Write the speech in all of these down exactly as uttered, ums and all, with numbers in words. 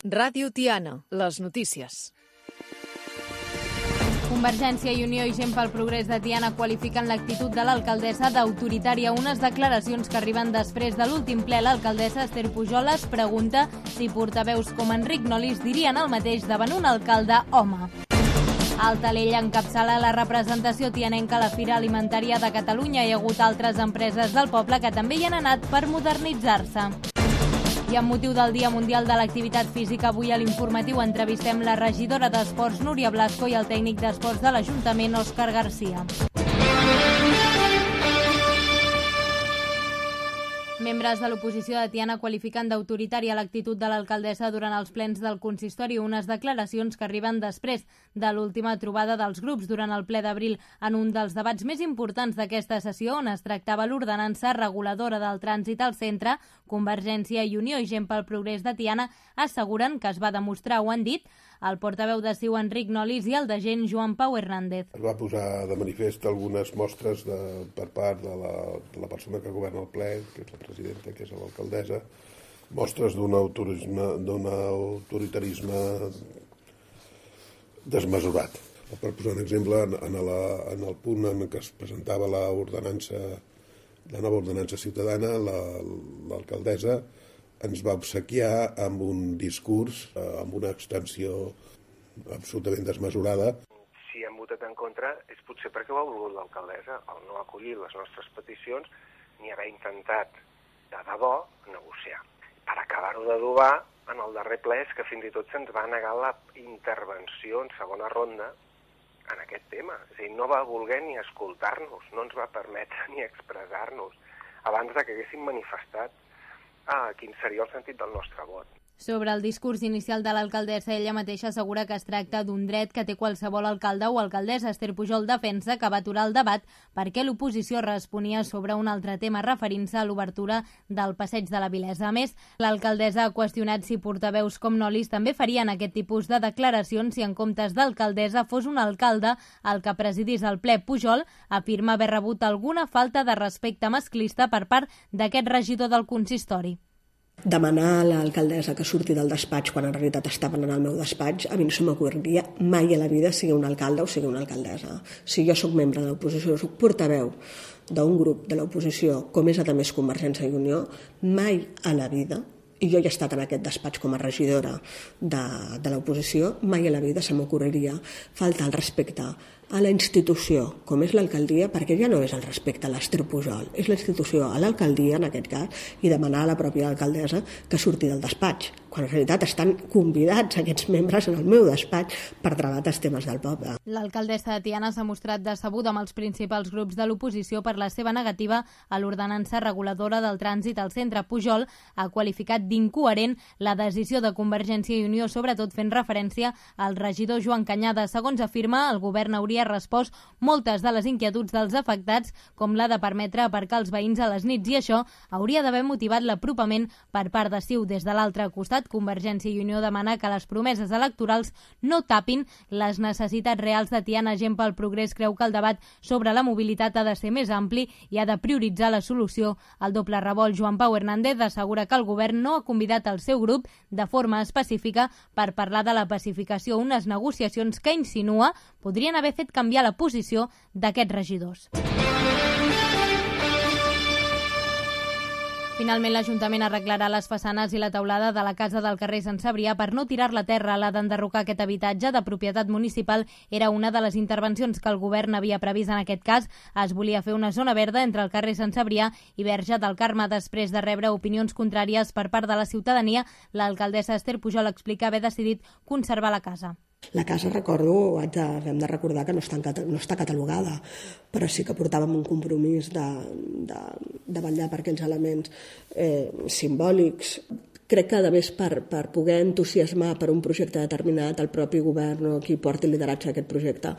Ràdio Tiana, les notícies. Convergència i Unió i Gent pel Progrés de Tiana qualifiquen l'actitud de l'alcaldessa d'autoritària. Unes declaracions que arriben després de l'últim ple. L'alcaldessa Esther Pujol es pregunta si portaveus com Enric Nolis dirien el mateix davant un alcalde home. Al Talell encapçala la representació tianenca a la Fira Alimentària de Catalunya. Hi ha hagut altres empreses del poble que també hi han anat per modernitzar-se. I amb motiu del Dia Mundial de l'Activitat Física, avui a l'informatiu entrevistem la regidora d'Esports, Núria Blasco, i el tècnic d'Esports de l'Ajuntament, Òscar Garcia. Membres de l'oposició de Tiana qualifiquen d'autoritària l'actitud de l'alcaldessa durant els plens del consistori, unes declaracions que arriben després de l'última trobada dels grups durant el ple d'abril en un dels debats més importants d'aquesta sessió, on es tractava l'ordenança reguladora del trànsit al centre. Convergència i Unió i Gent pel Progrés de Tiana asseguren que es va demostrar, ho han dit, el portaveu de C I U, Enric Nolis, i el de Gent, Joan Pau Hernández. Es va posar de manifest algunes mostres de, per part de la, de la persona que governa el ple, que és la presidenta, que és l'alcaldessa, mostres d'un autorisme, d'un autoritarisme desmesurat. Per posar un exemple, en, la, en el punt en què es presentava l'ordenança, la nova ordenança ciutadana, la, l'alcaldessa ens va obsequiar amb un discurs, amb una extensió absolutament desmesurada. Si hem votat en contra és potser perquè ho ha volgut l'alcaldessa, el no acollir les nostres peticions ni haver intentat de debò negociar. Per acabar-ho d'adobar, en el darrer ple és que fins i tot se'ns va negar la intervenció en segona ronda en aquest tema. És a dir, no va voler ni escoltar-nos, no ens va permetre ni expressar-nos abans de que haguéssim manifestat ah, quin seria el sentit del nostre vot. Sobre el discurs inicial de l'alcaldessa, ella mateixa assegura que es tracta d'un dret que té qualsevol alcalde o alcaldessa. Esther Pujol defensa que va aturar el debat perquè l'oposició responia sobre un altre tema referint-se a l'obertura del passeig de la Vilesa. A més, l'alcaldessa ha qüestionat si portaveus com Nolis també farien aquest tipus de declaracions si en comptes d'alcaldessa fos un alcalde el que presidís el ple. Pujol afirma haver rebut alguna falta de respecte masclista per part d'aquest regidor del consistori. Demanar a l'alcaldessa que surti del despatx quan en realitat estaven en el meu despatx, a mi no se m'ocorreria mai a la vida sigui un alcalde o sigui una alcaldessa. Si jo sóc membre de l'oposició, sóc portaveu d'un grup de l'oposició, com és a més Convergència i Unió, mai a la vida, i jo he estat en aquest despatx com a regidora de, de l'oposició, mai a la vida se m'ocorreria faltar el respecte a la institució, com és l'alcaldia, perquè ja no és el respecte a l'Esther Pujol, és la institució, a l'alcaldia, en aquest cas, i demanar a la pròpia alcaldessa que surti del despatx, quan en realitat estan convidats aquests membres en el meu despatx per debatre els temes del poble. L'alcaldessa de Tiana s'ha mostrat decebuda amb els principals grups de l'oposició per la seva negativa a l'ordenança reguladora del trànsit al centre. Pujol ha qualificat d'incoherent la decisió de Convergència i Unió, sobretot fent referència al regidor Joan Cañada. Segons afirma, el govern hauria respost moltes de les inquietuds dels afectats, com la de permetre aparcar els veïns a les nits, i això hauria d'haver motivat l'apropament per part de C I U. Des de l'altre costat, Convergència i Unió demana que les promeses electorals no tapin les necessitats reals de Tiana. Gent pel Progrés creu que el debat sobre la mobilitat ha de ser més ampli i ha de prioritzar la solució al doble revolt. Joan Pau Hernández assegura que el govern no ha convidat el seu grup de forma específica per parlar de la pacificació, unes negociacions que insinua podrien haver fet canviar la posició d'aquests regidors. Finalment, l'Ajuntament arreglarà les façanes i la teulada de la casa del carrer Sant Cebrià per no tirar-la a terra. La d'enderrocar aquest habitatge de propietat municipal era una de les intervencions que el govern havia previst en aquest cas. Es volia fer una zona verda entre el carrer Sant Cebrià i Verge del Carme. Després de rebre opinions contràries per part de la ciutadania, l'alcaldessa Esther Pujol explica haver decidit conservar la casa. La casa, recordo, haig de, hem de recordar que no està, no està catalogada, però sí que portàvem un compromís de, de, de vetllar per aquells elements eh, simbòlics. Crec que, a més, per, per poder entusiasmar per un projecte determinat, el propi govern o qui porti el lideratge d'aquest projecte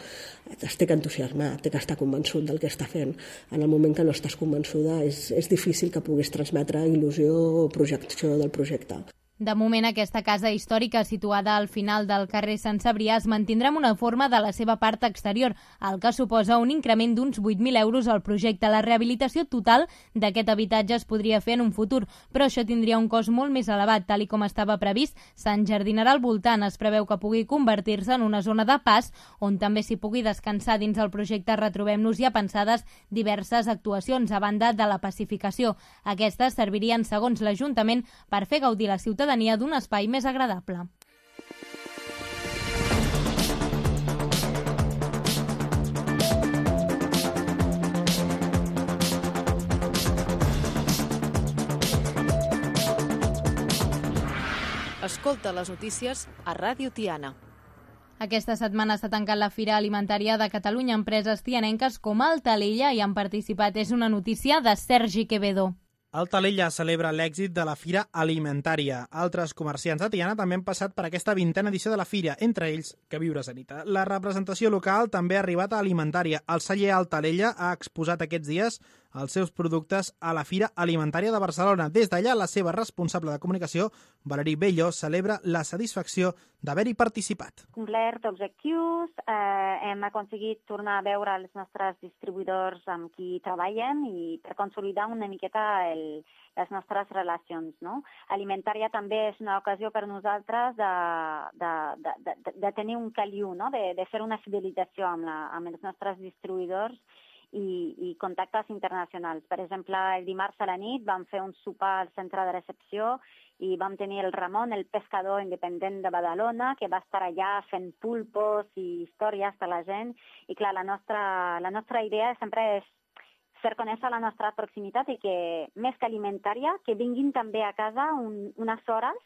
es té que entusiasmar, té que estar convençut del que està fent. En el moment que no estàs convençuda és, és difícil que puguis transmetre il·lusió o projecció del projecte. De moment, aquesta casa històrica situada al final del carrer Sant Cebrià es mantindrà amb una forma de la seva part exterior, el que suposa un increment d'uns vuit mil euros al projecte. La rehabilitació total d'aquest habitatge es podria fer en un futur, però això tindria un cost molt més elevat. Tal i com estava previst, s'enjardinarà al voltant. Es preveu que pugui convertir-se en una zona de pas on també s'hi pugui descansar. Dins el projecte Retrobem-nos hi ha pensades diverses actuacions, a banda de la pacificació. Aquestes servirien, segons l'Ajuntament, per fer gaudir la ciutadania d'un espai més agradable. Escolta les notícies a Ràdio Tiana. Aquesta setmana s'ha tancat la Fira Alimentària de Catalunya. Empreses tianenques com Altalella hi han participat. És una notícia de Sergi Quevedo. Altalella celebra l'èxit de la Fira Alimentària. Altres comerciants de Tiana també han passat per aquesta vintena edició de la Fira, entre ells Que Viure Sanita. La representació local també ha arribat a Alimentària. El celler Altalella ha exposat aquests dies els seus productes a la Fira Alimentària de Barcelona. Des d'allà, la seva responsable de comunicació, Valerí Bello, celebra la satisfacció d'haver-hi participat. Complert objectius, eh, hem aconseguit tornar a veure els nostres distribuïdors amb qui treballem i per consolidar una miqueta el, les nostres relacions. No? Alimentària també és una ocasió per nosaltres de, de, de, de, de tenir un caliu, no? de, de fer una fidelització amb, la, amb els nostres distribuïdors i, i contactes internacionals. Per exemple, el dimarts a la nit vam fer un sopar al centre de recepció i vam tenir el Ramon, el pescador independent de Badalona, que va estar allà fent pulpos i històries per la gent. I clar, la nostra, la nostra idea sempre és fer conèixer la nostra proximitat i que, més que alimentària, que vinguin també a casa un, unes hores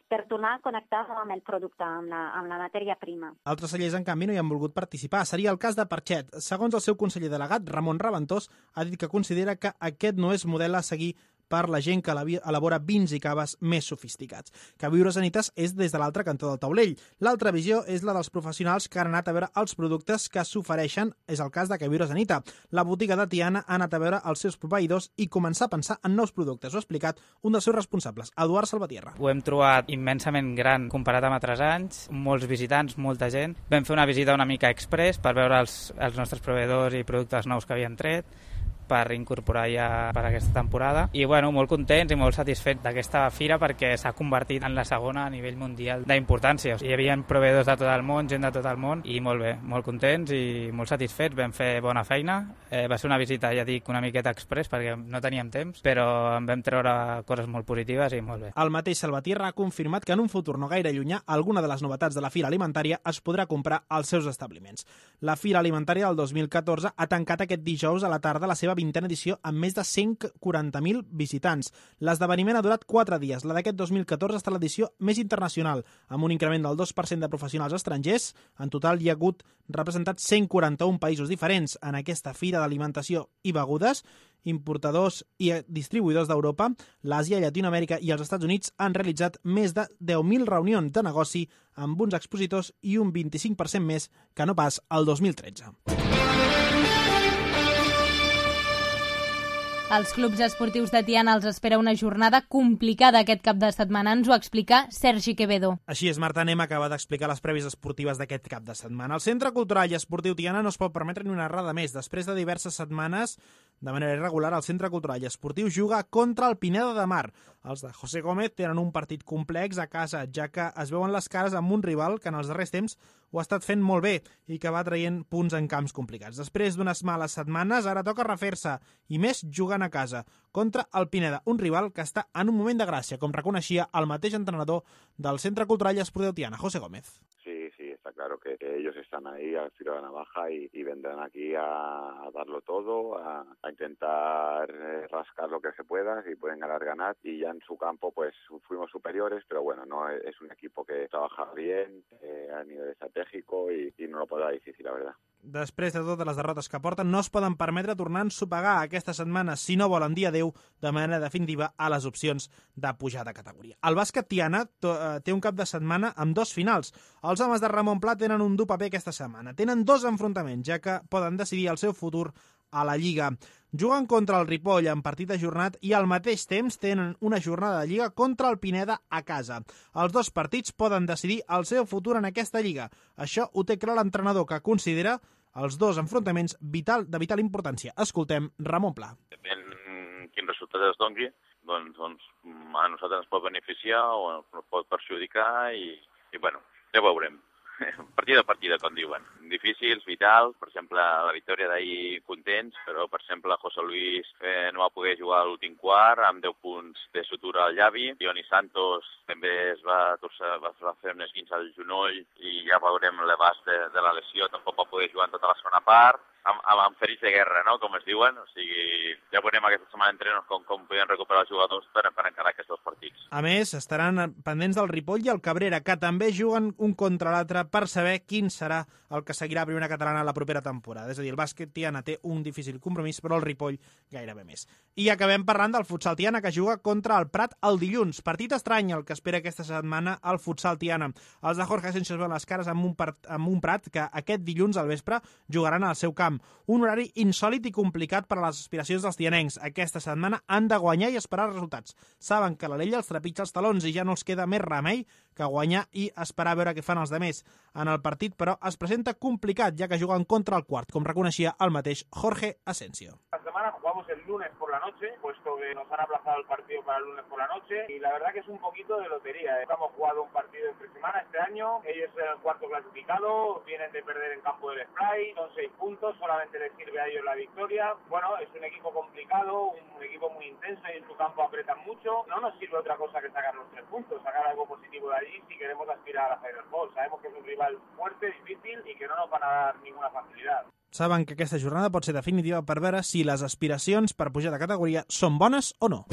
per tornar a connectar amb el producte, amb la, amb la matèria prima. Altres cellers, en canvi, no hi han volgut participar. Seria el cas de Parxet. Segons el seu conseller delegat, Ramon Raventós, ha dit que considera que aquest no és model a seguir per la gent que elabora vins i caves més sofisticats. Que Viure Sanitas és des de l'altre cantó del taulell. L'altra visió és la dels professionals que han anat a veure els productes que s'ofereixen. És el cas de Que Viure Sanita. La botiga de Tiana ha anat a veure els seus proveïdors i començar a pensar en nous productes. Ho ha explicat un dels seus responsables, Eduard Salvatierra. Ho hem trobat immensament gran comparat amb altres anys, molts visitants, molta gent. Vam fer una visita una mica express per veure els, els nostres proveïdors i productes nous que havien tret, per incorporar ja per aquesta temporada. I bueno, molt contents i molt satisfets d'aquesta fira perquè s'ha convertit en la segona a nivell mundial d'importància. Hi havia proveïdors de tot el món, gent de tot el món, i molt bé, molt contents i molt satisfets. Vam fer bona feina. Eh, va ser una visita, ja dic, una miqueta express perquè no teníem temps, però en vam treure coses molt positives i molt bé. El mateix Salvatierra ha confirmat que en un futur no gaire llunyà alguna de les novetats de la Fira Alimentària es podrà comprar als seus establiments. La Fira Alimentària del dos mil catorze ha tancat aquest dijous a la tarda la seva vintena edició amb més de cent quaranta mil visitants. L'esdeveniment ha durat quatre dies. La d'aquest dos mil catorze està l'edició més internacional, amb un increment del dos per cent de professionals estrangers. En total hi ha hagut representats cent quaranta-un països diferents en aquesta fira d'alimentació i begudes. Importadors i distribuïdors d'Europa, l'Àsia, Llatinoamèrica i els Estats Units han realitzat més de deu mil reunions de negoci amb uns expositors i un vint-i-cinc per cent més que no pas el dos mil tretze. Als clubs esportius de Tiana els espera una jornada complicada aquest cap de setmana. Ens ho explica Sergi Quevedo. Així és, Marta, anem a acabar d'explicar les prèvies esportives d'aquest cap de setmana. El Centre Cultural i Esportiu Tiana no es pot permetre ni una errada més. Després de diverses setmanes, de manera irregular, el Centre Cultural i Esportiu juga contra el Pineda de Mar. Els de José Gómez tenen un partit complex a casa, ja que es veuen les cares amb un rival que en els darrers temps ho ha estat fent molt bé i que va traient punts en camps complicats. Després d'unes males setmanes, ara toca refer-se, i més jugant a casa, contra el Pineda, un rival que està en un moment de gràcia, com reconeixia el mateix entrenador del Centre Cultural i Esportiu Tiana, José Gómez. Sí, sí, está claro que ellos están ahí al filo de la navaja y, y vendrán aquí a, a darlo todo, a, a intentar eh, rascar lo que se pueda, si pueden ganar, ganar, y ya en su campo pues fuimos superiores, pero bueno, no es un equipo que trabaja bien eh, a nivel estratégico y, y no lo podrà difícil, la verdad. Després de totes les derrotes que porten, no es poden permetre tornar a ensopegar aquesta setmana si no volen dir adeu de manera definitiva a les opcions de pujar de categoria. El bàsquet Tiana té un cap de setmana amb dos finals. Els homes de Ramon Pla tenen un dur paper aquesta setmana. Tenen dos enfrontaments, ja que poden decidir el seu futur a la Lliga. Juguen contra el Ripoll en partit ajornat i al mateix temps tenen una jornada de Lliga contra el Pineda a casa. Els dos partits poden decidir el seu futur en aquesta Lliga. Això ho té clar l'entrenador, que considera els dos enfrontaments vital, de vital importància. Escoltem Ramon Pla. Depèn quin resultat es doni, doncs, doncs a nosaltres ens pot beneficiar o ens pot perjudicar i, i bueno, ja veurem. Partida a partida, com diuen. Difícils, vitals, per exemple, la victòria d'ahir contents, però, per exemple, José Luis eh, no va poder jugar a l'últim quart amb deu punts de sutura al llavi. Ioni Santos també es va, va, va fer un esguinç al genoll i ja veurem l'abast de, de la lesió, tampoc va poder jugar en tota la segona part. Amb, amb, amb ferits de guerra, no?, com es diuen. O sigui, ja veurem aquesta setmana d'entrenos com, com podem recuperar els jugadors per, per encarar aquests dos partits. A més, estaran pendents del Ripoll i el Cabrera, que també juguen un contra l'altre per saber quin serà el que seguirà a primera catalana la propera temporada. És a dir, el bàsquet Tiana té un difícil compromís, però el Ripoll gairebé més. I acabem parlant del futsal Tiana, que juga contra el Prat el dilluns. Partit estrany el que espera aquesta setmana el futsal Tiana. Els de Jorge Asensio es veuen les cares amb un, part, amb un Prat que aquest dilluns al vespre jugaran al seu camp. Un horari insòlid i complicat per a les aspiracions dels tianencs. Aquesta setmana han de guanyar i esperar resultats. Saben que l'Alella els trepitja els talons i ja no els queda més remei que guanyar i esperar a veure què fan els demés. En el partit, però, es presenta complicat, ja que juguen contra el quart, com reconeixia el mateix Jorge Asensio. La semana jugamos el lunes por la noche, puesto que nos han aplazado el partido para el lunes por la noche, y la verdad que es un poquito de lotería. Hemos jugado un partido entre semana este año, ellos son el cuarto clasificado, vienen de perder en campo del Spray, son seis puntos, solamente les sirve a ellos la victoria. Bueno, es un equipo complicado, un equipo muy intenso y en su campo apretan mucho. No nos sirve otra cosa que sacar los tres puntos, sacar algo positivo de allí si queremos aspirar a la Final Four. Sabemos que es un rival fuerte, difícil y que no nos van a dar ninguna facilidad. Saben que aquesta jornada pot ser definitiva per veure si les aspiracions per pujar de categoria són bones o no.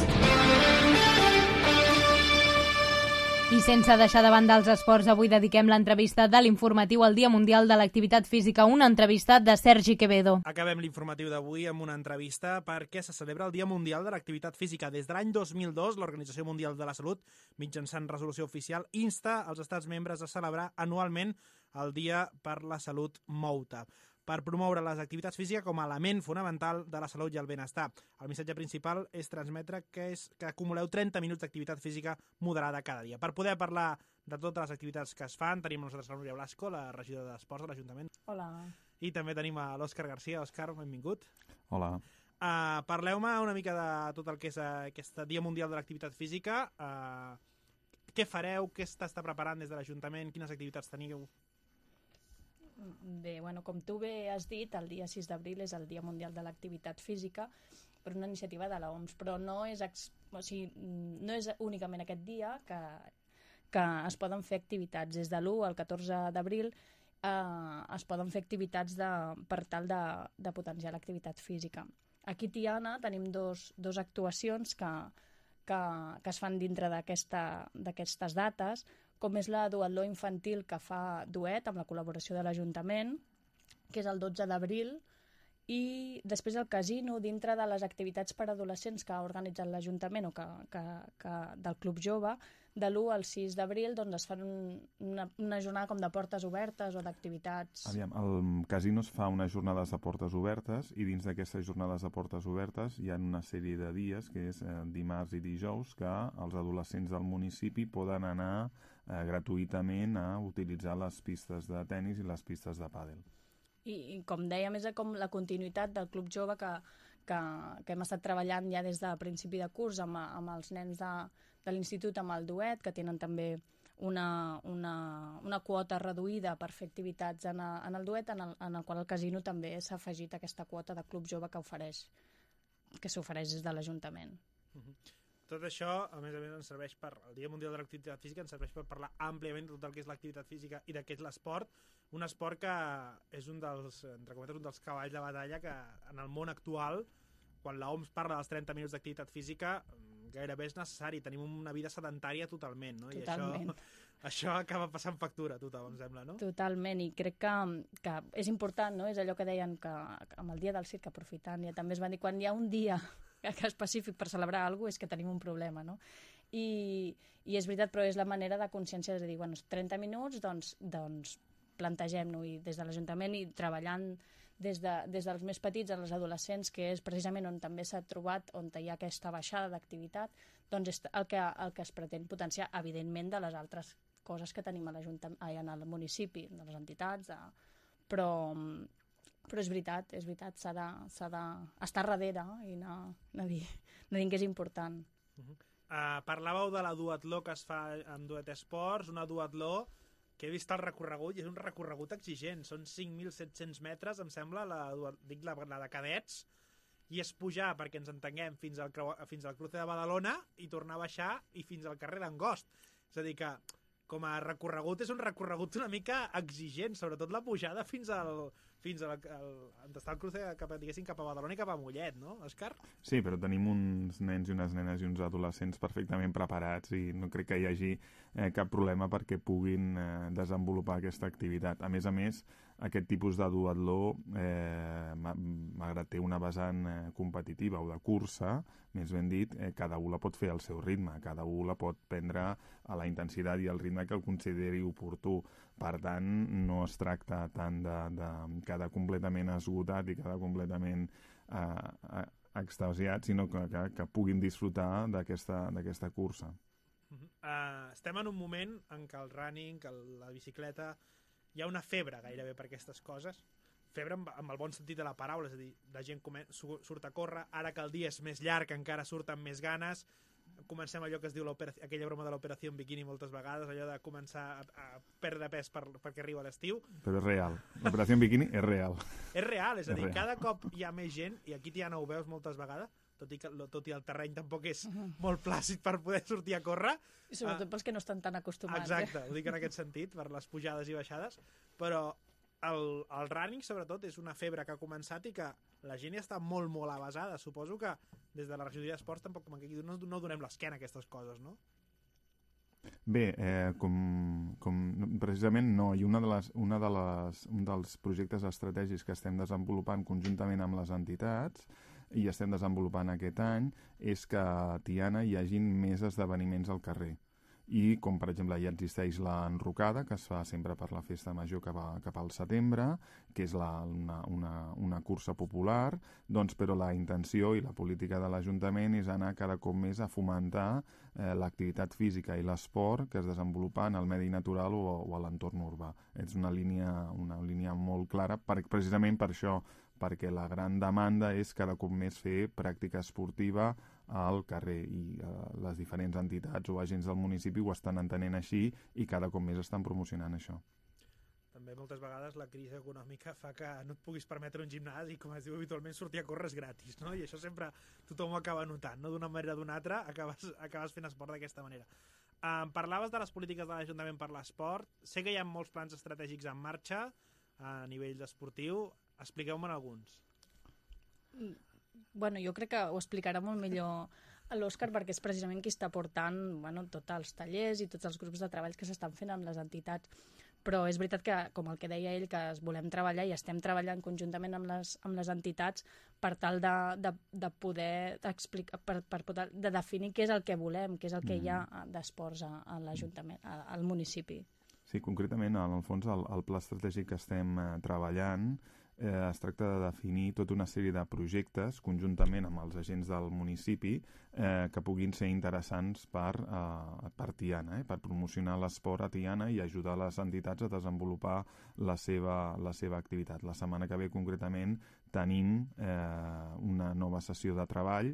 I sense deixar de banda els esports, avui dediquem l'entrevista de l'informatiu al Dia Mundial de l'Activitat Física, una entrevista de Sergi Quevedo. Acabem l'informatiu d'avui amb una entrevista perquè se celebra el Dia Mundial de l'Activitat Física. Des de l'any dos mil dos, l'Organització Mundial de la Salut, mitjançant resolució oficial, insta als estats membres a celebrar anualment el Dia per la Salut Mou-te, per promoure les activitats físiques com a element fonamental de la salut i el benestar. El missatge principal és transmetre que, és, que acumuleu trenta minuts d'activitat física moderada cada dia. Per poder parlar de totes les activitats que es fan, tenim nosaltres la Núria Blasco, la regidora d'Esports de l'Ajuntament. Hola. I també tenim a l'Òscar Garcia. Òscar, benvingut. Hola. Uh, Parleu-me una mica de tot el que és uh, aquest Dia Mundial de l'Activitat Física. Uh, què fareu? Què s'està preparant des de l'Ajuntament? Quines activitats teniu? Bé, bueno, com tu bé has dit, el dia sis d'abril és el Dia Mundial de l'Activitat Física per una iniciativa de l'O M S, però no és, ex... o sigui, no és únicament aquest dia que, que es poden fer activitats. Des de l'u al catorze d'abril eh, es poden fer activitats de, per tal de, de potenciar l'activitat física. Aquí a Tiana tenim dos, dos actuacions que, que, que es fan dintre d'aquestes dates, com és la duatló infantil que fa Duet amb la col·laboració de l'Ajuntament, que és el dotze d'abril, i després el casino dintre de les activitats per adolescents que ha organitzat l'Ajuntament o que, que, que del Club Jove, de l'u al sis d'abril doncs es fan un, una, una jornada com de portes obertes o d'activitats. Aviam, el casino es fa unes jornades de portes obertes i dins d'aquestes jornades de portes obertes hi ha una sèrie de dies, que és eh, dimarts i dijous, que els adolescents del municipi poden anar eh, gratuïtament a utilitzar les pistes de tennis i les pistes de pàdel. I, i com dèiem, és com la continuïtat del Club Jove que, que, que hem estat treballant ja des de principi de curs amb, amb els nens de, de l'institut, amb el Duet, que tenen també una, una, una quota reduïda per fer activitats en, a, en el Duet, en el, en el qual el casino també s'ha afegit aquesta quota de Club Jove que ofereix, que s'ofereix des de l'Ajuntament. Uh-huh. Tot això, a més a més, ens serveix per el Dia Mundial de l'Activitat Física, ens serveix per parlar àmpliament de tot el que és l'activitat física i de què és l'esport, un esport que és un dels, entre cometes, un dels cavalls de batalla que en el món actual, quan l'O M S parla dels trenta minuts d'activitat física, gairebé és necessari, tenim una vida sedentària totalment, no? Totalment. I això, això acaba passant factura a tothom, em sembla, no? Totalment, i crec que, que és important, no? És allò que deien que amb el dia del circ, aprofitant, ja també es van dir, quan hi ha un dia que específic per celebrar alguna cosa és que tenim un problema, no? I, i és veritat, però és la manera de consciència de dir, bueno, trenta minuts, doncs, doncs plantegem-nos i des de l'Ajuntament i treballant des, de, des dels més petits als adolescents, que és precisament on també s'ha trobat, on hi ha aquesta baixada d'activitat, doncs és el que, el que es pretén potenciar, evidentment, de les altres coses que tenim a en el municipi, de les entitats, de... però, però és veritat, és veritat, s'ha d'estar darrere i anar, anar, dir, anar dient que és important. Uh-huh. Uh, parlàveu de la duatló que es fa amb Duet Esports, una duatló que he vist el recorregut i és un recorregut exigent, són cinc mil set-cents metres, em sembla, la, dic la, la de cadets, i és pujar, perquè ens entenguem, fins al, fins al cruce de Badalona i tornar a baixar i fins al carrer d'Angost. És a dir que, com a recorregut, és un recorregut una mica exigent, sobretot la pujada fins al... fins a està el cruce cap, diguéssim, cap a Badalona i cap a Mollet, no, Òscar? Sí, però tenim uns nens i unes nenes i uns adolescents perfectament preparats i no crec que hi hagi eh, cap problema perquè puguin eh, desenvolupar aquesta activitat. A més a més, aquest tipus de duatló, eh, malgrat té una vessant eh, competitiva o de cursa, més ben dit, eh, cada un la pot fer al seu ritme, cada un la pot prendre a la intensitat i al ritme que el consideri oportú. Per tant, no es tracta tant de, de quedar completament esgotat i quedar completament eh, extasiat, sinó que, que, que puguin disfrutar d'aquesta cursa. Uh -huh. uh, estem en un moment en què el running, que la bicicleta, hi ha una febre gairebé per aquestes coses, febre amb, amb el bon sentit de la paraula, és a dir, la gent surt a córrer, ara que el dia és més llarg encara surten més ganes, comencem allò que es diu aquella broma de l'operació en biquini moltes vegades, allò de començar a, a perdre pes per, perquè arriba l'estiu. Però és real, l'operació en biquini és real. És real, és a és dir, real. Cada cop hi ha més gent, i aquí ja no ho veus moltes vegades, tot i que tot i el terreny tampoc és molt plàcid per poder sortir a córrer. I sobretot uh, pels que no estan tan acostumats. Exacte, eh? ho dic en aquest sentit, per les pujades i baixades, però el, el running, sobretot, és una febre que ha començat i que la gent ja està molt, molt avasada. Suposo que des de la regidoria d'esports tampoc no, no donem l'esquena a aquestes coses, no? Bé, eh, com, com precisament no, i una de les, una de les, un dels projectes estratègics que estem desenvolupant conjuntament amb les entitats i estem desenvolupant aquest any és que a Tiana hi hagin més esdeveniments al carrer. I com per exemple ja existeix l'enrocada, que es fa sempre per la festa major cap, a, cap al setembre, que és la, una, una, una cursa popular, doncs, però la intenció i la política de l'Ajuntament és anar cada cop més a fomentar eh, l'activitat física i l'esport que es desenvolupa en el medi natural o, o a l'entorn urbà. És una línia, una línia molt clara, per, precisament per això, perquè la gran demanda és cada cop més fer pràctica esportiva al carrer i eh, les diferents entitats o agents del municipi ho estan entenent així i cada cop més estan promocionant això. També moltes vegades la crisi econòmica fa que no et puguis permetre un gimnàs i, com es diu habitualment, sortir a córrer és gratis, no? I això sempre tothom ho acaba notant, no? D'una manera o d'una altra acabes, acabes fent esport d'aquesta manera. Um, parlaves de les polítiques de l'Ajuntament per l'esport. Sé que hi ha molts plans estratègics en marxa a nivell esportiu. Expliqueu-me'n alguns. Bueno, jo crec que ho explicarà molt millor l'Òscar perquè és precisament qui està portant bueno, tots els tallers i tots els grups de treball que s'estan fent amb les entitats. Però és veritat que, com el que deia ell, que es volem treballar i estem treballant conjuntament amb les, amb les entitats per tal de, de, de poder explicar, per, per poder, de definir què és el que volem, què és el que hi ha d'esports a, a l'Ajuntament, al municipi. Sí, concretament, en el fons, el, el pla estratègic que estem eh, treballant eh, es tracta de definir tota una sèrie de projectes conjuntament amb els agents del municipi eh, que puguin ser interessants per, eh, per Tiana, eh, per promocionar l'esport a Tiana i ajudar les entitats a desenvolupar la seva, la seva activitat. La setmana que ve, concretament, tenim eh, una nova sessió de treball,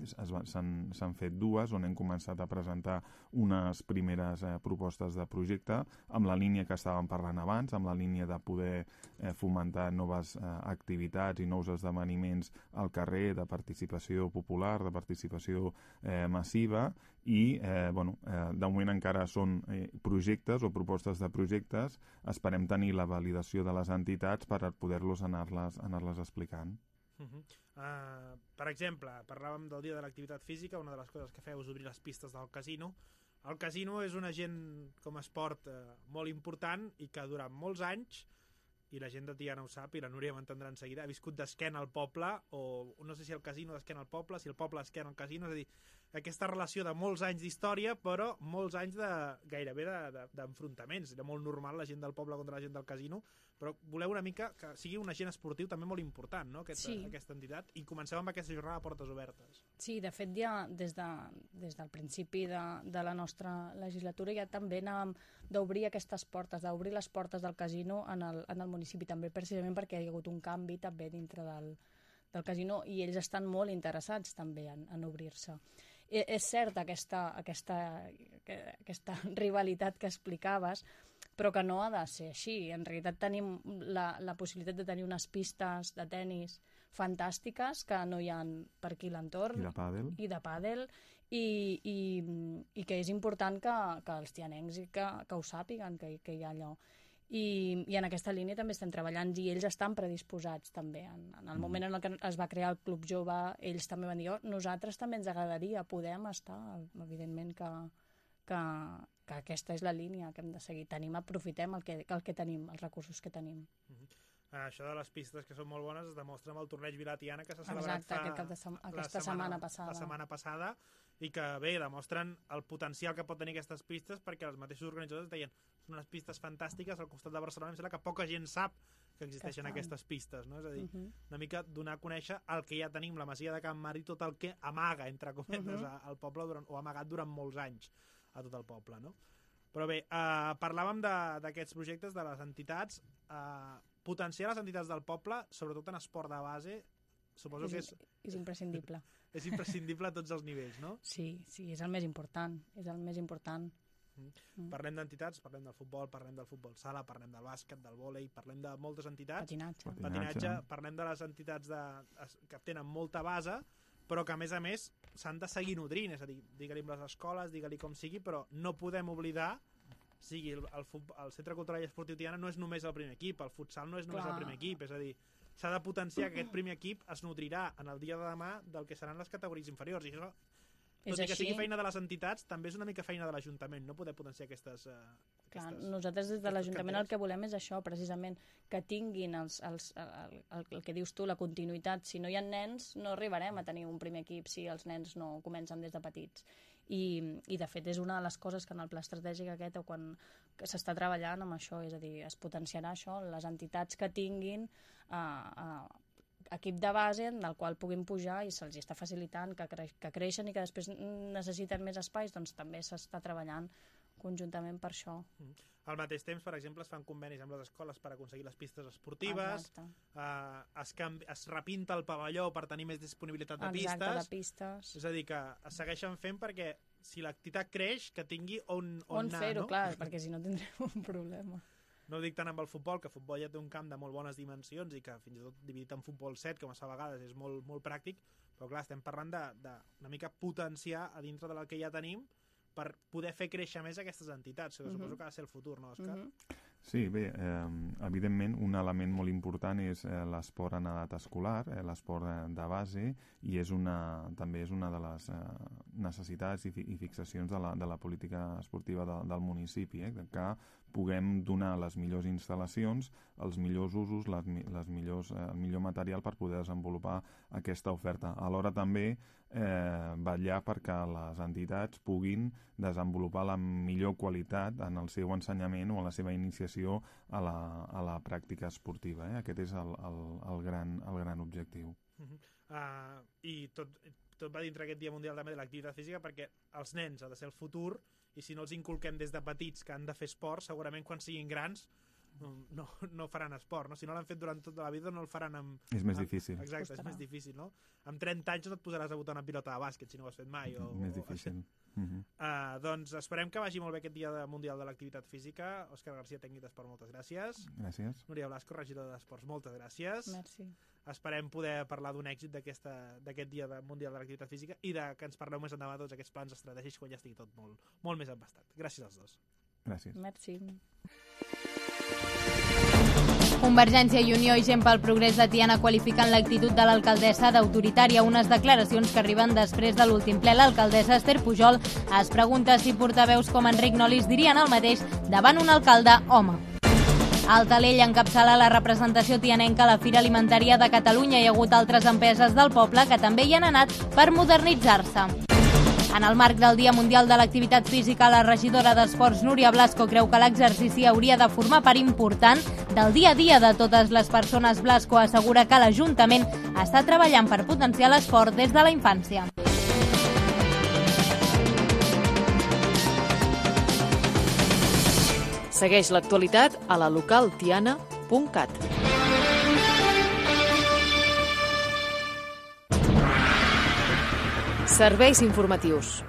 s'han fet dues, on hem començat a presentar unes primeres eh, propostes de projecte amb la línia que estàvem parlant abans, amb la línia de poder eh, fomentar noves eh, activitats i nous esdeveniments al carrer, de participació popular, de participació eh, massiva, i eh, bueno, eh, de moment encara són eh, projectes o propostes de projectes. Esperem tenir la validació de les entitats per poder-los anar-les anar-les explicant. Uh -huh. uh, per exemple, parlàvem del dia de l'activitat física. Una de les coses que feu és obrir les pistes del casino. El casino és un agent com a esport eh, molt important i que durant molts anys, i la gent de Tiana ho sap i la Núria m'entendrà en seguida, ha viscut d'esquena al poble, o no sé si el casino d'esquena al poble, si el poble d'esquena al casino, és a dir, aquesta relació de molts anys d'història, però molts anys de, gairebé d'enfrontaments. Era molt normal la gent del poble contra la gent del casino, però voleu una mica que sigui un agent esportiu també molt important, no? Aquest, sí. Aquesta entitat, i comencem amb aquesta jornada de portes obertes. Sí, de fet ja des, de, des del principi de, de la nostra legislatura ja també anàvem d'obrir aquestes portes, d'obrir les portes del casino en el, en el municipi, també precisament perquè hi ha hagut un canvi també dintre del, del casino i ells estan molt interessats també en, en obrir-se. I, és cert aquesta, aquesta, aquesta rivalitat que explicaves, però que no ha de ser així. En realitat tenim la, la possibilitat de tenir unes pistes de tennis fantàstiques que no hi ha per aquí l'entorn. I de pàdel. I de pàdel, i, i, i que és important que, que els tianencs que, que ho sàpiguen, que, que hi ha allò. I, I en aquesta línia també estem treballant i ells estan predisposats també. En, en el moment en el que es va crear el Club Jove, ells també van dir, oh, nosaltres també ens agradaria, podem estar, evidentment que, que, que aquesta és la línia que hem de seguir. Tenim, aprofitem el que, el que tenim, els recursos que tenim. Uh-huh. Uh, això de les pistes que són molt bones es demostra amb el torneig Vilatiana que s'ha celebrat Exacte, fa aquest sem aquesta setmana, setmana passada. La setmana passada, i que bé, demostren el potencial que pot tenir aquestes pistes, perquè els mateixos organitzadors deien són unes pistes fantàstiques, al costat de Barcelona em sembla que poca gent sap que existeixen que aquestes pistes, no? És a dir, uh -huh. una mica donar a conèixer el que ja tenim, la masia de Can Mar i tot el que amaga, entre cometes, uh -huh. al poble, durant, o ha amagat durant molts anys a tot el poble, no? Però bé, eh, parlàvem d'aquests projectes, de les entitats, eh, potenciar les entitats del poble, sobretot en esport de base, suposo és, que és... És imprescindible. És imprescindible a tots els nivells, no? Sí, sí, és el més important, és el més important. Mm. Mm. Parlem d'entitats, parlem del futbol, parlem del futbol sala, parlem del bàsquet, del vòlei, parlem de moltes entitats. Patinatge. Patinatge. Patinatge. Parlem de les entitats de, que tenen molta base, però que a més a més s'han de seguir nodrint, és a dir, digue-li amb les escoles, digue-li com sigui, però no podem oblidar sigui, el, el, el Centre Cultural i Esportiu Tiana no és només el primer equip, el futsal no és només Clar. el primer equip, és a dir, s'ha de potenciar que aquest primer equip es nodrirà en el dia de demà del que seran les categories inferiors, i això, tot i que sigui feina de les entitats, també és una mica feina de l'Ajuntament, no poder potenciar aquestes... Uh, Clar, aquestes nosaltres des de l'Ajuntament el que volem és això, precisament, que tinguin els, els, el, el, el que dius tu, la continuïtat. Si no hi ha nens, no arribarem a tenir un primer equip si els nens no comencen des de petits. I, i de fet és una de les coses que en el pla estratègic aquest o quan s'està treballant amb això, és a dir, es potenciarà això, les entitats que tinguin uh, uh, equip de base en el qual puguin pujar i se'ls està facilitant que, cre que creixen i que després necessiten més espais, doncs també s'està treballant conjuntament per això. Mm. Al mateix temps, per exemple, es fan convenis amb les escoles per aconseguir les pistes esportives, uh, es, es repinta el pavelló per tenir més disponibilitat de pistes. Exacte, de pistes. És a dir, que es segueixen fent perquè si l'activitat creix, que tingui on, on, on anar. On fer-ho, no? clar, perquè si no tindrem un problema. No ho dic tant amb el futbol, que el futbol ja té un camp de molt bones dimensions i que fins i tot dividit en futbol set, com es fa a vegades, és molt, molt pràctic, però clar, estem parlant d'una mica potenciar a dintre del que ja tenim per poder fer créixer més aquestes entitats. Uh -huh. Suposo que ha de ser el futur, no, Òscar? Uh -huh. Sí, bé, eh, evidentment un element molt important és eh, l'esport en edat escolar, eh, l'esport de, de base, i és una, també és una de les eh, necessitats i, fi, i fixacions de la, de la política esportiva de, del municipi, eh, que puguem donar les millors instal·lacions, els millors usos, les, les millors, eh, el millor material per poder desenvolupar aquesta oferta. Alhora també eh, vetllar perquè les entitats puguin desenvolupar la millor qualitat en el seu ensenyament o en la seva iniciació a la, a la pràctica esportiva. Eh? Aquest és el, el, el, gran, el gran objectiu. Uh -huh. uh, I tot, tot va dintre aquest Dia Mundial també de l'activitat física, perquè els nens ha de ser el futur, i si no els inculquem des de petits que han de fer esport, segurament quan siguin grans no, no, no faran esport, no? Si no l'han fet durant tota la vida no el faran amb... És més amb, difícil. Exacte, és més difícil, no? Amb trenta anys no et posaràs a botar una pilota de bàsquet si no ho has fet mai. O, més difícil. O, uh -huh. uh, doncs esperem que vagi molt bé aquest Dia Mundial de l'Activitat Física. Òscar García, tècnic d'Esport, moltes gràcies. Gràcies. Núria Blasco, regidora d'Esports, moltes gràcies. Merci. Esperem poder parlar d'un èxit d'aquest Dia Mundial de l'Activitat Física i de que ens parleu més endavant tots aquests plans estratègics quan ja estigui tot molt, molt més embastat. Gràcies als dos. Gràcies. Merci. Convergència i Unió i Gent pel Progrés de Tiana qualifiquen l'actitud de l'alcaldessa d'autoritària. Unes declaracions que arriben després de l'últim ple. L'alcaldessa Esther Pujol es pregunta si portaveus com Enric Nolis dirien el mateix davant un alcalde home. El Talell encapçala la representació tianenca a la Fira Alimentària de Catalunya. Hi ha hagut altres empreses del poble que també hi han anat per modernitzar-se. En el marc del Dia Mundial de l'Activitat Física, la regidora d'Esports, Núria Blasco, creu que l'exercici hauria de formar part important del dia a dia de totes les persones. Blasco assegura que l'Ajuntament està treballant per potenciar l'esport des de la infància. Segueix l'actualitat a la local tiana punt cat. Serveis informatius.